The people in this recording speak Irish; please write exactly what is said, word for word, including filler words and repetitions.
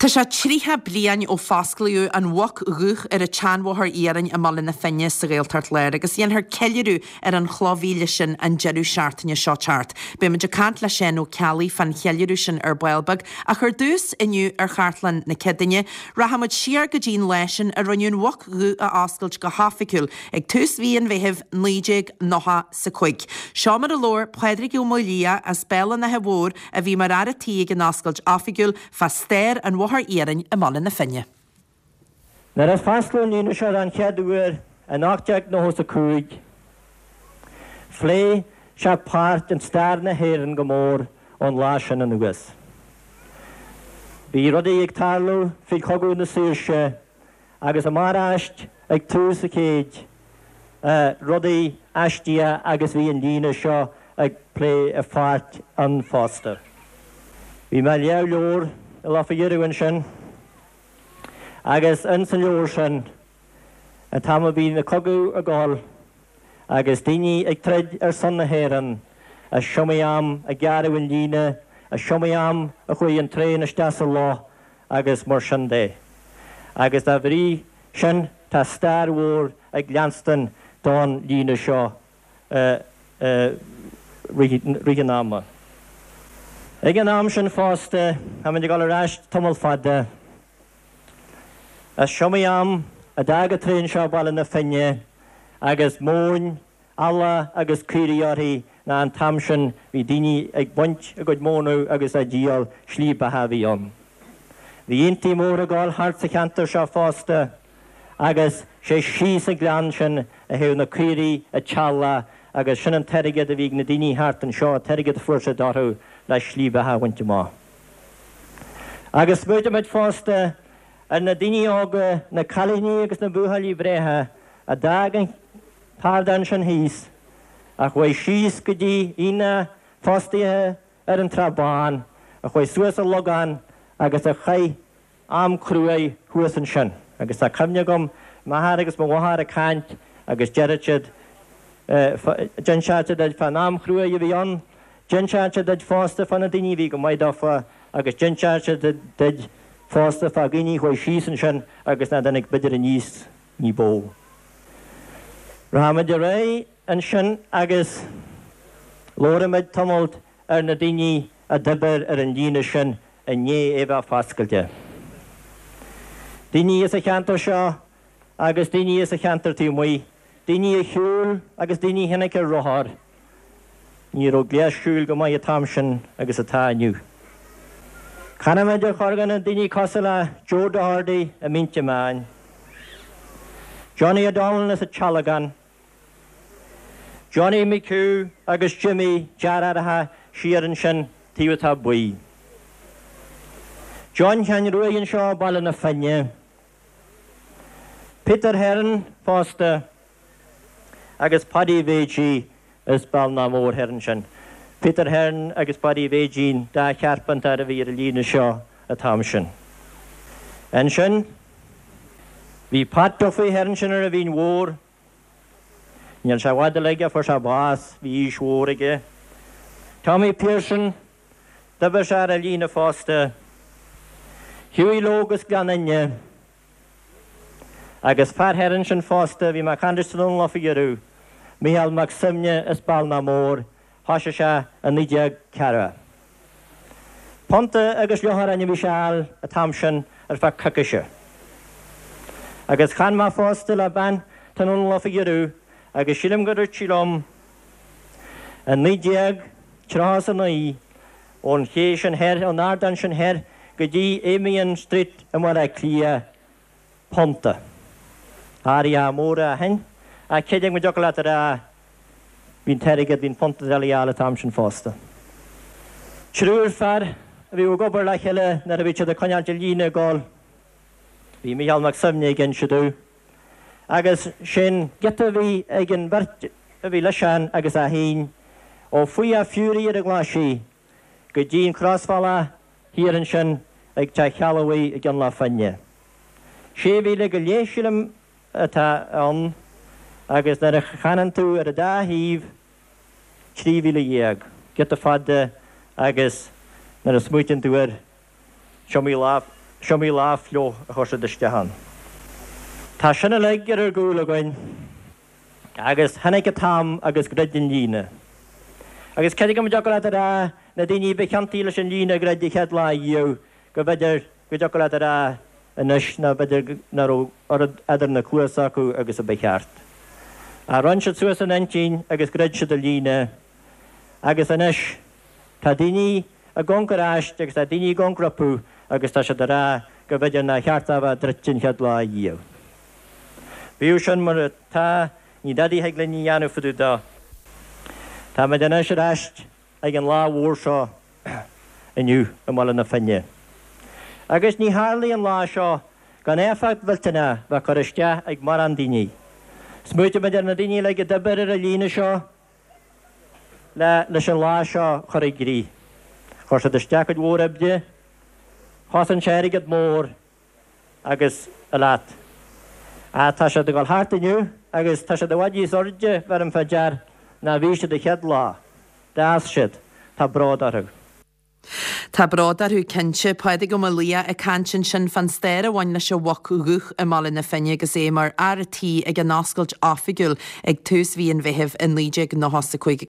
Tá sé tríocha bliain ó fosclaíodh an Mhuc Dhubh ar an tseanbhóthar iarainn i mBaile na Finne sa Ghaeltacht Láir agus dhéanfar ceiliúradh ar an chloch mhíle sin an deireadh seachtaine seo teacht. Beimid ag caint le Seán Ó Ceallaigh fán cheiliúradh sin ar ball beag ach ar dtús inniu ar Chartlann na Céadaoine, rachaimid siar go dtí an lá sin a rinneadh an Mhuc Dhubh a oscailt go hoifigiúil ag tús mhí an Mheithimh naoi déag nócha is a cúig. Seo mar a labhair Pádraig Ó Maolaodha as Béal an Átha Mhóir a bhí mar fhear an tí ag an oscailt oifigiúil fá stair an bhóthair iarainn i mBaile na Finne. Nuair a fosclaíodh an líne seo an chéad uair in ocht déag nócha a cúig, phléigh sé páirt in stair na hÉireann go mór ón lá sin anuas. Bhí rudaí ag tarlú faoi Chogadh na Saoirse agus amach ag tús an chéid rudaí aisteacha agus bhí an líne seo ag plé a pháirt ann fosta. Bhí mé ag léamh leabhar i lá faoi dheireadh ansin, agus in san leabhar sin an t-am a bhí na cogadh ag gabháil agus daoine ag troid ar son na hÉireann, is iomaí am a gearradh an líne, is iomaí am a chuaigh an traein isteach sa loch agus mar sin de. Agus dá bhrí sin tá stair mhór ag leanstan don líne seo rith an ama. Ag an am sin fosta, táimid ag dul ar ais tamall fada. Is iomaí am a d'fhág an traein seo Baile na Finne agus móin, eallach agus caoirigh uirthi ná an t-am sin bhí daoine ag baint a gcuid mónadh agus á díol slí beatha a bhí ann. Bhí aontaí móra ag gabháil thart sa cheantar seo fosta agus sé síos an gleann sin a théadh na caoirigh an t-eallach agus sin an t-airgead a bhí ag na daoine thart anseo, an t-airgead a fuair siad orthu le slí beatha a bhaint amach. Agus smaoitímid fosta ar na daoine óga, na cailíní agus na buachaillí breátha a d'fhág an t-ardán sin thíos, a chuaigh síos go dtí aonach fostaithe ar an Trá Bhán, a chuaigh suas an Logán agus a chaith am cruaidh thuas ansin. Agus tá cuimhne agam m'athair agus mo mháthair ag caint agus deireadh siad d'inseodh siad duit fán am chruaidh a bhí ann, d'inseodh siad duit fosta fá na daoine a bhí go maith dófa agus d'inseodh siad duit fosta fá dhaoine a chuaigh síos ansin agus nach dtáinig b'fhéidir aníos ní b'fhiú. Rachaimid ar aghaidh ansin agus labhróimid tamall ar na daoine a d'oibir ar an líne sin i ndiaidh é bheith foscailte. Daoine as an cheantar seo agus daoine as an cheantar taobh amuigh, daoine a shiúil agus daoine a tháinig ar rothar. Ní raibh gléas siúil go maith an t-am sin agus atá inniu. Canfaimid ar chor na daoine cosúil le Joe Doherty i Mínte Meáin, Johnny O'Donnell as an Tealgán, Johnny McHugh agus Jimmy deartháireacha siar ansin taobh atá buí. John Sheáin Ruaidh anseo Baile na Finne, Peter Heron fosta agus Paddy Bhéidí is Bealach Mór thoir ansin. Peter Heron agus Paddy Bhéidín dá chearpantar a bhí ar an líne seo an t-am sin. Ansin bhí Pat Duffy thoir ansin ar an Mhín Mhór, Níl sé i bhfad uilig a fuair sé bás, bhí aois mhór aige. Tommy Pearson, d'oibir sé ar an líne fosta. Hughie Logue as Gleann Fhinne, agus fear thoir ansin fosta, bhí mé ag caint leis an lá faoi dheireadh, Micheál Mac Suibhne as Bealach Mór, thosaigh sé i naoi déag ceathracha. Punta agus leath a bhí sé a fháil an t-am sin ar feadh coicíse. Agus chan mé fosta le bean tráthnóna lá faoi dheireadh agus sílim go dúirt sí liom i naoi déag tríocha is a naoi ón ché sin thoir, ón ardán sin thoir go dtí Amiens Street i mBaile Átha Cliath, punta. Athruithe móra ó shin, ach cé go dtiocfadh leat a rá bhí an t-airgead, bhí an punta doiligh a fháil an t-am sin fosta. Triúr fear a bhí ag obair le chéile nuair a bhí siad ag coinneáil an líne ag gabháil. Bhí Micheál Mac Suibhne ag inse domh. Agus sin giota a bhí ag an bheirt a bhí leisean agus é féin ó Faoi Fury ar an Ghlaisigh go dtí an crosbhealach thiar ansin ag Teach Shealbhaigh i gCeann Loch Finne. Sé mhíle go leith sílim atá ann agus nuair a chanann tú ar an dá thaobh trí mhíle dhéag, giota fada agus nuair a smaoitíonn tú air is iomaí lá Is iomaí lá fliuch a chuir siad isteach ann. Tá sin uilig ar ár gcúl againn agus tháinig an t-am agus dhruid an líne. Agus creidim go dtiocfadh leat a rá na daoine ba chiontaí leis an líne a dhruid an chéad lá riamh go mb'fhéidir go dtiocfadh leat a rá anois ná b'fhéidir nach raibh oiread eadar na cluasa acu agus a ba cheart. Ach rinne siad suas a n-intinn agus dhruid siad an líne agus anois tá daoine ag amharc ar ais agus tá daoine ag amharc rompu agus tá siad ag rá go mb'fhéidir nár cheart a bheith druidte an chéad lá riamh. Bíodh sin mar atá, ní dadaí a thig linn a dhéanamh fá dtaobh dó. Táimid anois ar ais ag an lá mhór seo inniu i mBaile na Finne. Agus ní tharlaigh an lá seo gan éifeacht mhillteanach bheith curtha isteach ag mórán daoine. Smaoitímid ar na daoine uilig a d'oibir ar an líne seo le leis an lá seo a chur i gcrích. Chuir siad isteach cuid mhór oibre, chosain sé airgead mór agus a leat. Ach tá siad ag dul thart inniu agus tá siad i bhfad níos airde, bheirim fá dear, ná bhí siad an chéad lá. D'fhás siad. Tá bród orthu. Tá bród orthu cinnte. Pádraig Ó Maolaodha ag caint ansin fán stair a bhain leis an Mhuc Dhubh i mBaile na Finne agus é mar fhear tí ag an oscailt oifigiúil ag tús mhí an Mheithimh i naoi déag nócha is a cúig.